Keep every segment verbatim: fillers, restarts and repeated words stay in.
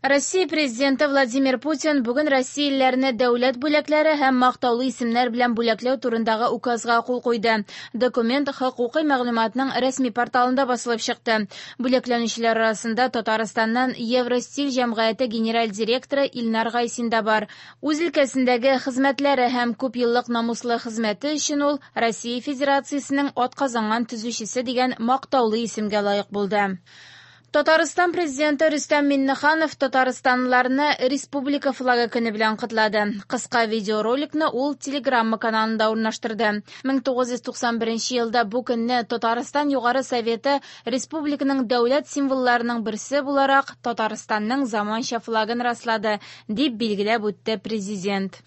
Россия Президенты Владимир Путин бүген россиялеләрне дәүләт бүләкләре һәм мактаулы исемнәр белән бүләкләү турындагы указга кул куйды. Документ хокукый мәгълүматның рәсми порталында басылып чыкты. Бүләкләнүчеләр арасында Татарстаннан Евростиль җәмгыяте генераль директоры Илнар Гайсин да бар. Үз өлкәсендәге хезмәтләре һәм күпьеллык намуслы хезмәте өчен ул Россия Федерациясенең атказанган төзүчесе дигән мактаулы исемгә лаек булды. Татарстан Президенты Рөстәм Миңнеханов татарстанлыларны Республика флагы көне белән котлады. Кыска видеороликны ул Телеграмма каналында урнаштырды. мең тугыз йөз туксан беренче елда бу көнне Татарстан Югары Советы республиканың дәүләт символларының берсе буларак Татарстанның заманча флагын раслады, дип билгеләп үтте президент.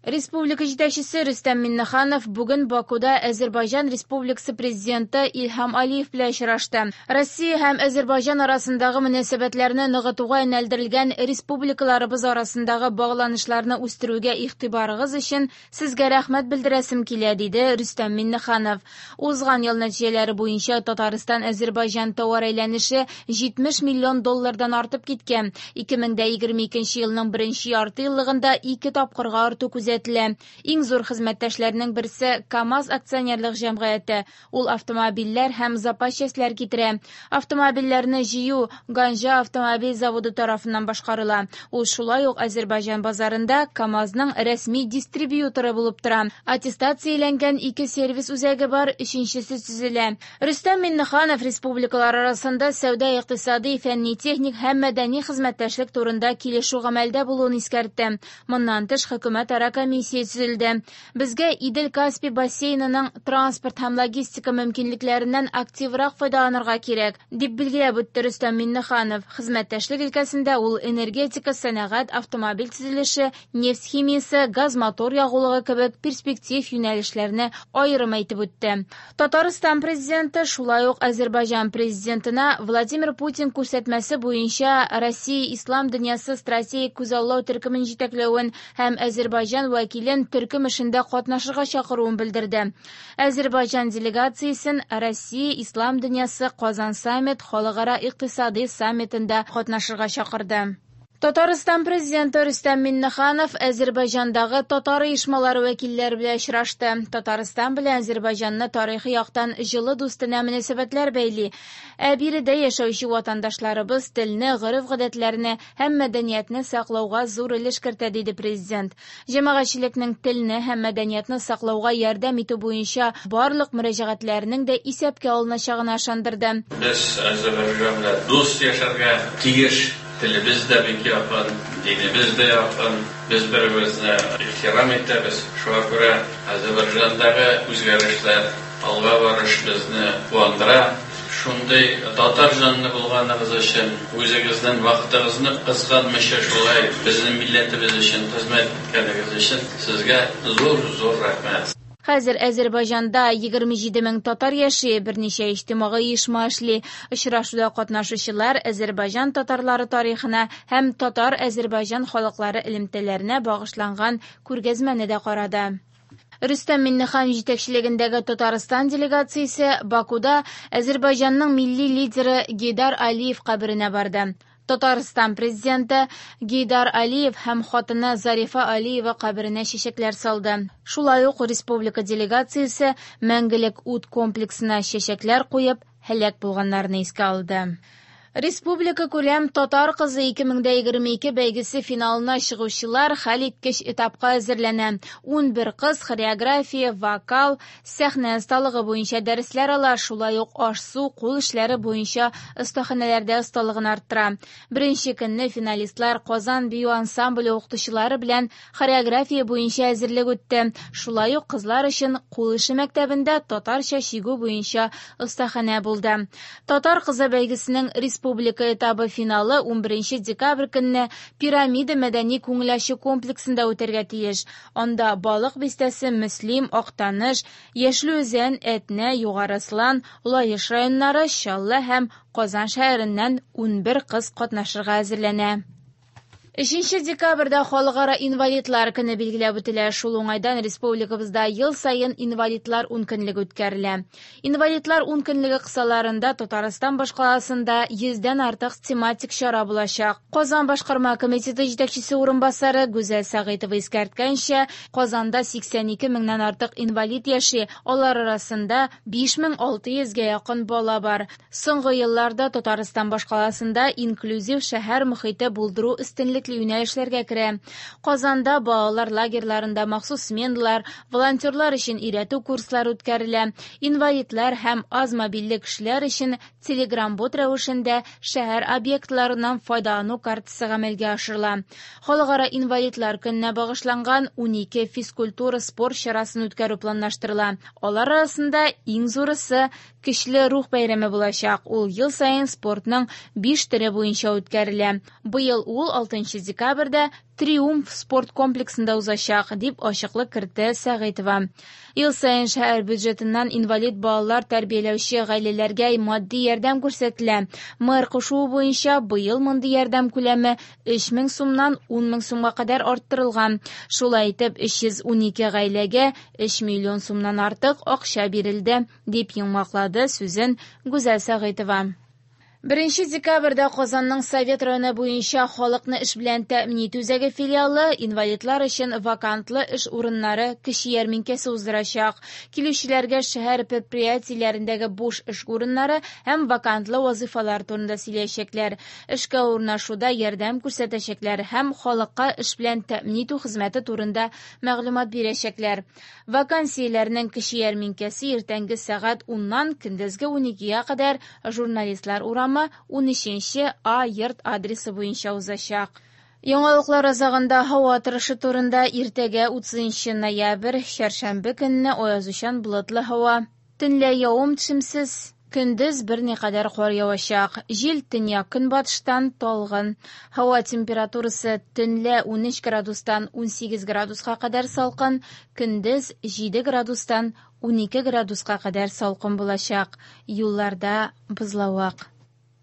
Республика җитәкчесе Рөстәм Миңнеханов бүген Бакуда Азербайҗан Республикасы президенты Илһам Алиев белән очрашты. Россия һәм Азербайҗан арасындагы мөнәсәбәтләрне ныгытуга юнәлдерелгән республикаларыбыз арасындагы багланышларны үстерүгә игътибарыгыз өчен сезгә рәхмәт белдерәсем килә, диде Рөстәм Миңнеханов. Узган ел нәтиҗәләре буенча Татарстан-Азербайҗан товар әйләнеше җитмеш миллион доллардан артып киткән. Ике мең дә егерме икенче елның беренче ярты еллыгында ике тапкырга арту күзәтелә. Иң зур хезмәттәшләрнең берсе КАМАЗ акционерлык җәмгыяте. Ул автомобильләр һәм запас частьләр китерә. Автомобильләрне җыю Ганҗа автомобиль заводы тарафыннан башкарыла. Ул шулай ук Азербайҗан базарында КАМАЗның рәсми дистрибьюторы булып тора. Аттестацияләнгән ике сервис үзәге бар, өченчесе төзелә. Рөстәм Миңнеханов республикалар арасында сәүдә, икътисади, фәнни-техник һәм мәдәни хезмәттәшлек турында килешү гамәлдә булуын искәртте. Моннан тыш хөкүмәт ара комиссия төзелде. Безгә Идел-Каспий бассейнының транспорт һәм логистика мөмкинлекләреннән активрак файдаланырга кирәк, дип билгеләп үтте Рөстәм Миңнеханов. Хезмәттәшлек өлкәсендә ул энергетика, сәнәгать, автомобиль төзелеше, нефть химиясе, газ-мотор ягулыгы кебек перспектив юнәлешләрне аерым әйтеп үтте. Татарстан президенты шулай ук Азербайҗан президентына Владимир Путин күрсәтмәсе буенча Россия Ислам дөньясы стратегик күзаллау төркемен җитәкләвен һәм Азербайҗан вәкилен төркем эшендә катнашырга чакыруын белдерде. Азербайҗан делегациясен Россия Ислам дөньясы Казан саммит халыкара икътисади саммитында катнашырга чакырды. Татарстан президенты Рөстәм Миңнеханов Азербайҗандагы татар оешмалары вәкилләре белән очрашты. Татарстан белән Азербайҗанны тарихи яктан җылы дустанә мөнәсәбәтләр бәйли. Ә биредә яшәүче ватандашларыбыз телне, гореф-гадәтләрне һәм мәдәниятне саклауга зур өлеш кертә, диде президент. Җәмәгатьчелекнең телне һәм мәдәниятне саклауга ярдәм итү буенча барлык мөрәҗәгатьләрнең дә исәпкә алыначагына ышандырды. Без Азербайҗан белән дус яшәргә тиеш. Телебез дә бик якын, динебез дә якын. Без бер-беребезне ихтирам итәбез. Шуңа күрә Азербайҗандагы үзгәрешләр, алга барыш безне куандыра. Шундый татар җанлы булганыгыз өчен, үзегезнең вакытыгызны кызганмыйча шулай безнең милләтебез өчен хезмәт иткәнегез өчен сезгә зур-зур рәхмәт. Хәзер Азербайҗанда егерме җиде мең татар яши, берничә иҗтимагый оешма эшли. Очрашуда катнашучылар Азербайҗан татарлары тарихына һәм татар-Азербайҗан халыклары элемтәләренә багышланган күргәзмәне дә карады. Рөстәм Миңнеханов җитәкчелегендәге Татарстан делегациясе Бакуда Азербайҗанның милли лидеры Гейдар Алиев каберенә барды. Татарстан президенты Гейдар Алиев һәм хатыны Зарифа Алиева каберенә чәчәкләр салды. Шулай ук республика делегациясе Мәңгелек ут комплексына чәчәкләр куеп, һәлак булганнарны искә алды. Республика күләм Татар кызы ике мең дә егерме ике бәйгесе финалына чыгучылар хәл иткеч этапка әзерләнә. Унбер кыз хореография, вокал, сәхнә осталыгы буенча дәресләр ала, шулай ук аш-су, кул эшләре буенча остаханәләрдә осталыгын арттыра. Беренче көнне финалистлар Казан бию ансамбле укытучылары белән хореография буенча әзерлек үтте. Шулай ук кызлар өчен кул эше мәктәбендә татарча чигү буенча остаханә булды. Татар кызы бәйгесенең республика этабы финалы унберенче декабрь көнне Пирамида мәдәни күңел ачу комплексында үтәргә тиеш. Анда Балык бистәсе, Мөслим, Актаныш, Яшел Үзән, Әтнә, Югары Ослан, Лаеш районнары, Чаллы һәм Казан шәһәреннән унбер кыз катнашырга әзерләнә. Өченче декабрьдә Халыкара инвалидлар көне билгеләп үтелә. Шул уңайдан республикабызда ел саен инвалидлар ункөнлеге үткәрелә. Инвалидлар ункөнлеге кысаларында Татарстан башкаласында йөздән артык тематик чара булачак. Казан башкарма комитеты җитәкчесе урынбасары Гүзәл Сәгыйтова искәрткәнчә, Казанда сиксән ике меңнән артык инвалид яши, алар арасында биш мең алты йөзгә якын бала бар. Соңгы елларда Татарстан башкаласында инклюзив шәһәр мохите булдыру өстенлекле юнәлешләргә керә. Казанда балалар лагерьларында махсус сменалар, волонтерлар өчен өйрәтү курслары үткәрелә. Инвалидлар һәм аз мобильле кешеләр өчен телеграм-бот рәвешендә шәһәр объектларыннан файдалану картасы гамәлгә ашырыла. Халыкара инвалидлар көненә багышланган унике физкультура спорт чарасын үткәрү планлаштырыла. Алар арасында иң зурысы Көчле рух бәйрәме булачак. Ул ел саен спортның биш төре буенча үткәрелә. Быел ул алтынчы декабрьдә Триумф спорт комплексында узачак, дип ачыклык кертте Сәгыйтова. Ел саен шәһәр бюджетыннан инвалид балалар тәрбияләүче гаиләләргә матди ярдәм күрсәтелә. Мэр кушуы буенча быел мондый ярдәм күләме өч мең сумнан ун мең сумга кадәр арттырылган. Шулай итеп, өч йөз унике гаиләгә өч миллион сумнан артык акча бирелде, дип йомгаклады сүзен Гүзәл Сәгыйтова. Беренче декабрьдә Казанның Совет районы буенча халыкны эш белән тәэмин итү үзәге филиалы инвалидлар өчен вакантлы эш урыннары кече ярминкәсе уздырачак. Килүчеләргә шәһәр предприятиеләрендәге буш эш урыннары һәм вакантлы вазифалар турында сөйләячәкләр. Эшкә урнашуда ярдәм күрсәтәчәкләр һәм халыкка эш белән тәэмин итү хезмәте турында мәгълүмат бирәчәкләр. Вакансияләрнең кече ярминкәсе иртәнге сәгать уннан көндезге уникегә кадәр Журналистлар урамы унөченче А йорт адресы буенча узачак. Яңалыклар азагында һава торышы турында. Иртәгә утызынчы ноябрь, чәршәмбе көнне аязучан болытлы һава. Төнлә явым-төшемсез, көндез берникадәр кар явачак. Җил төньяк көнбатыштан талгын. Һава температурасы төнлә унөч градустан унсигез градуска кадәр салкын, көндез җиде градустан унике градуска кадәр салкын булачак. Юлларда бозлавык.